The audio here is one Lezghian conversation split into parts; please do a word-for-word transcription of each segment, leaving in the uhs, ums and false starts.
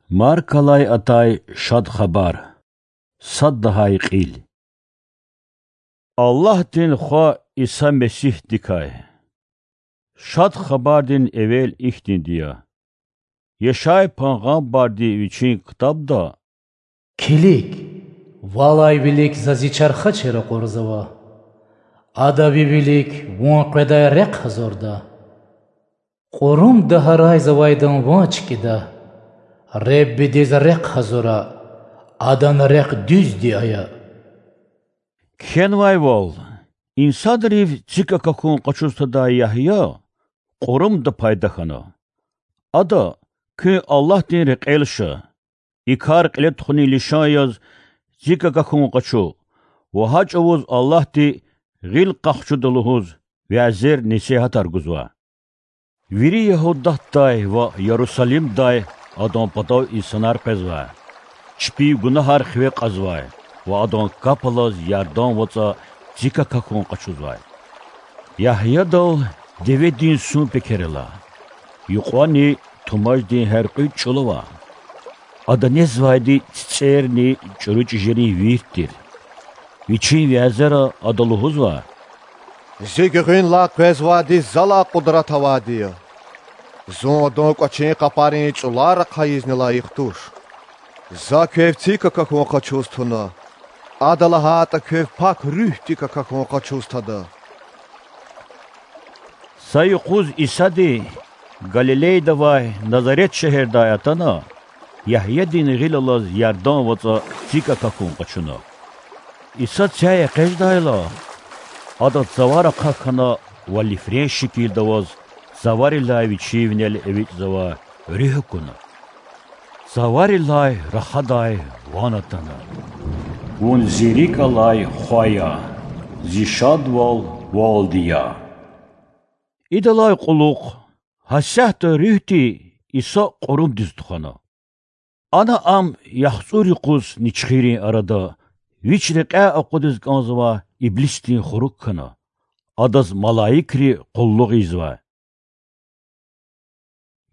Маркалай атай Шад Хабар. Сад лагьай кьил. Аллагьдин Хва Иса Месигьдикай. Шад Хабардин эвел ихьтинди я: Яшай пайгъамбарди вичин ктабда: Килиг, валай вилик За Зи чархачи ракъурзава. Ада ви вилик Вун къведай рехъ гьазурда. Кьурумда гьарайзавайдан ван чкӀида. Худадиз рехъ гьазура, Адан рехъ дуьзди ая. Кхьенвайвал, инсанрив цик акахьун къачуз тадай Ягья кьурумда пайда хьана. Ада: Куьн Аллагьдин рекьел ша, и кар кьиле тухунин лишан яз цик акахьун къачу ва гьа чӀавуз Аллагьди гъил къахчуда лугьуз вязер-несигьатар гузва. Вири Ягьудатдай ва Ярусалимдай Адан патав инсанар къвезвай, чпин гунагьар хиве кьазвай ва Адан капӀ алаз Ярдан вацӀа цик акахьун къачузвай. Ягьядал деведин сун пекер ала, юкьвани тумаждин гьяркьуь чӀул ава. Ада незвайди цицӀерни чӀуру чӀижерин вирт тир. Вичин вязера ада лугьузва: Зи гуьгъуьнлай къвезвайди Залай къудрат авайди я. Зун Адан кӀвачин къапарин цӀулар ахъайизни лайих туш. За квев цик акахьун къачуз туна, Ада лагьайтӀа, квев Пак Руьгьдик акахьун къачуз тада. Са юкъуз Исади Галилейда авай Назарет шегьердай атана, Ягьядин гъил алаз Ярдан вацӀа цик акахьун къачуна. Иса цяй экъечӀдайла, Ада цавар ахъа хьана ва лифрен шикилда аваз цаварилай Вичи винел эвичӀзавай Руьгь акуна. Цаварилай рахадай ван атана: Вун Зи рикӀ алай Хва я, Зи шадвал Валди я. Идалай кьулухъ гьасятда Руьгьди Иса кьурумдиз тухвана. Ана Ам яхцӀур юкъуз ничхиррин арада, Вич рекьяй акъудиз кӀанзавай иблисдин хурук хьана. Адаз малаикри къуллугъ ийизвай.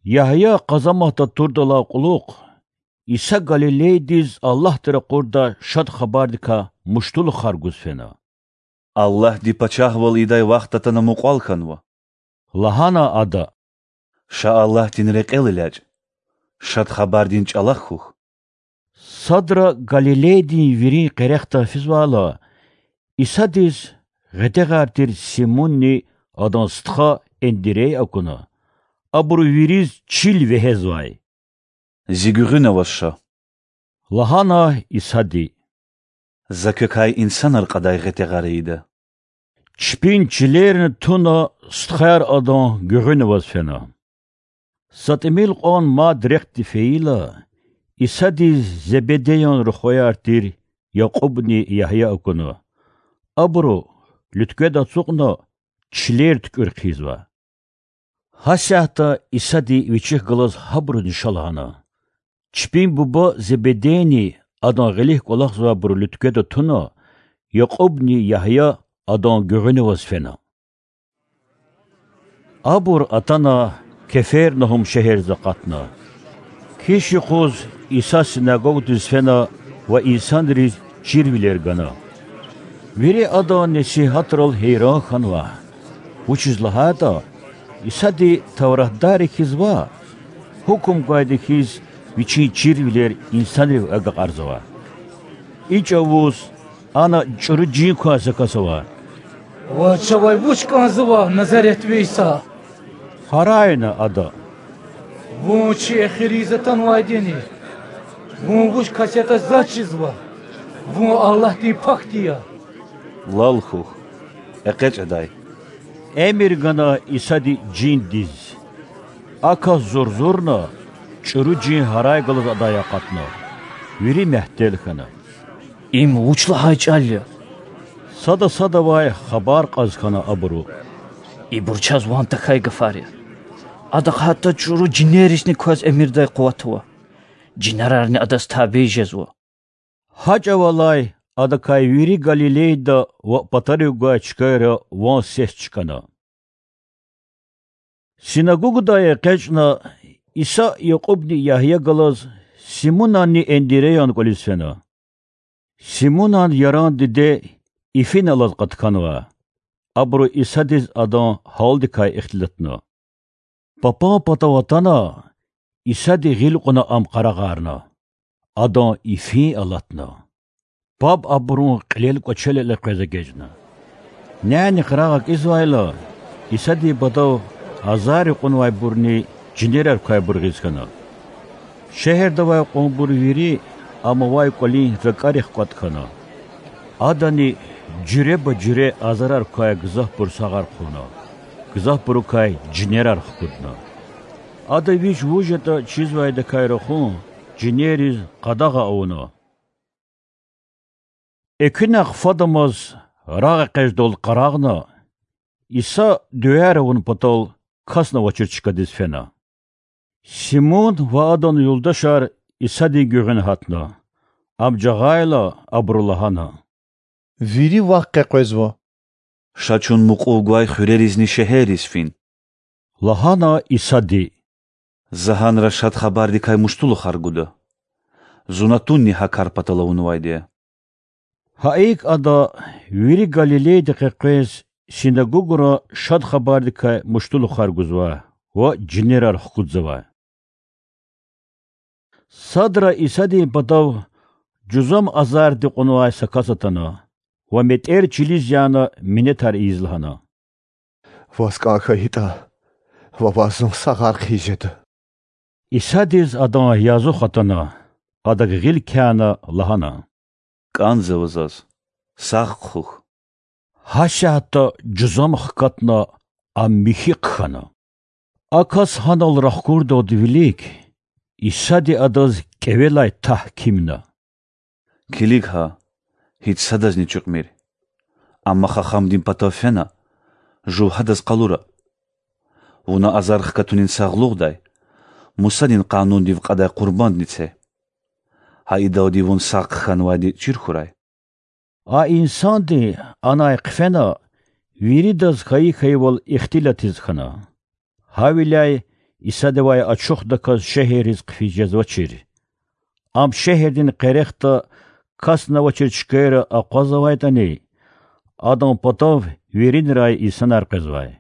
Ягья къазаматда турдалай кьулухъ Иса Галилейдиз Аллагьди ракъурдай Шад Хабардикай муштулухар гуз фена. Аллагьди пачагьвал ийидай вахт атана мукьвал хьанва, лагьана Ада. Ша Аллагьдин рекьел элячӀ, Шад Хабардин чӀалахъ хьухь. Садра Галилейдин вирин къерехда физвайла, Исадиз гъетягъар тир Симунни адан стха Эндирей акуна. Абуру вириз чил вегьезвай. Зи гуьгъуьна аваз ша, лагьана Исади. За квекай инсанар кьадай гъетягъар ийида. Чпин чилерни туна, стхаяр Адан гуьгъуьна аваз фена. Са тӀимил кьван мад рехъди фейила, Исадиз Зебедеян рухваяр тир Якьубни Ягья акуна. Абуру, луьткведа ацукьна, чилер туькӀуьр хъийизва. Гьасятда Исади Вичихъ галаз гьабурузни ша лагьана. Чпин буба Зебедейни адан гъилик кӀвалахзавайбур луьткведа туна, Якьубни Ягья Адан гуьгъуьна аваз фена. Абур атана Кефернагьум шегьердиз акъатна. Киш юкъуз Иса синагогдиз фена ва инсанриз чирвилер гана. Вири Адан несигьатрал гьейран хьанва, вучиз лагьайтӀа Исади Тавратдарри хьиз ваъ, гьукум гвайди хьиз Вичин чирвилер инсанрив агакьарзава. И чӀавуз ана чӀуру жин квай са кас ава. Ваз чавай вуч кӀанзава, Назаретви Иса? гьарайна ада. Вун чи эхир ийиз атанвайди яни? Вун вуч кас ятӀа заз чизва. Вун Аллагьдин Пакди я. Лал хьухь, экъечӀ адай. Эмир гана Исади жиндиз. А кас зурзурна, чӀуру жин гьарай галаз адай акъатна. Вири мягьтел хьана. Им вуч лагьай чӀал я? Сада садавай хабар кьаз хьана абуру. Ибур чаз ван тахьай гафар я. Адахъ гьатта чӀуру жинерризни кваз эмирдай къуват ава. Жинерарни адаз табий жезва. Гьа чӀавалай адакай вири Галилейда ва патарив гвай чкайра ван-сес чкӀана. Синагогдай экъечӀна, Иса Якьубни Ягья галаз Симунанни Эндиреян кӀвализ фена. Симунан яран диде ифин алаз къатканва. Абуру Исадиз адан гьалдикай ихтилатна. Папан патав атана, Исади гъил кьуна ам къарагъарна. Адан ифин алатна. Паб абурун кьилел кӀвачел элкъвез эгечӀна. Няни къарагъ акӀизвайла, Исадин патав азарри кьунвайбурни жинерар квайбур гъиз хьана. Шегьерда авай кьванбур вири ам авай кӀвалин ракӀарихъ кӀватӀ хьана. Адани жуьреба-жуьре азарар квай гзафбур сагъар хъувуна, гзафбурукай жинерар хкудна. Ада вич вуж ятӀа чизвайдакай рахун жинерриз къадагъа авуна. Экуьнахъ фадамаз рагъэкъечӀдал къарагъна, Иса дуьаяр авун патал касни авачир чкадиз фена. Симун ва адан юлдашар Исадин гуьгъуьна гьатна. Ам жагъайла, абуру лагьана: Вири Вахъ къекъвезва. Ша чун мукьув гвай хуьреризни шегьерриз фин,– лагьана Исади. За гьанра Шад Хабардикай муштулухар гуда. Зун атунни гьа кар патал авунвайди я. Гьа икӀ Ада вири Галилейди къекъвез синагугра Шад Хабардикай муштулухар гузвай ва жинерар хкудзавай. Садра Исадин патав жузам азарди кьунвай са кас атана ва метӀер чилиз яна минетар ийиз лагьана: Ваз кӀан хьайитӀа, Вавай зун сагъар хъийиз жеда. Исадиз адан язух атана, Адак гъил кяна, лагьана: КӀанзава Заз, сагъ хъхьухь. Гьасятда жузам хкатна, ам михьи хъхьана. А кас гьанал рахкурдалди вилик Исади адаз кӀевелай тагькимна: Килиг гьа, гьич садазни чуькьмир. Амма хахамдин патав фена, жув гьадаз къалура. Вуна азар хкатунин сагълугъдай Мусадин Къанундив кьадай къурбандни це. Гьа идалди вун сагъ хъхьанвайди чир хьурай. А инсанди анай хъфена, виридаз хьайи хьайивал ихтилатиз хьана. Гьавиляй Исадивай ачухдаказ шегьерриз хъфиз жезвачир. Ам шегьердин къерехда касни авачир чкайра акъвазавайтӀани, Адан патав виринрай инсанар къвезвай.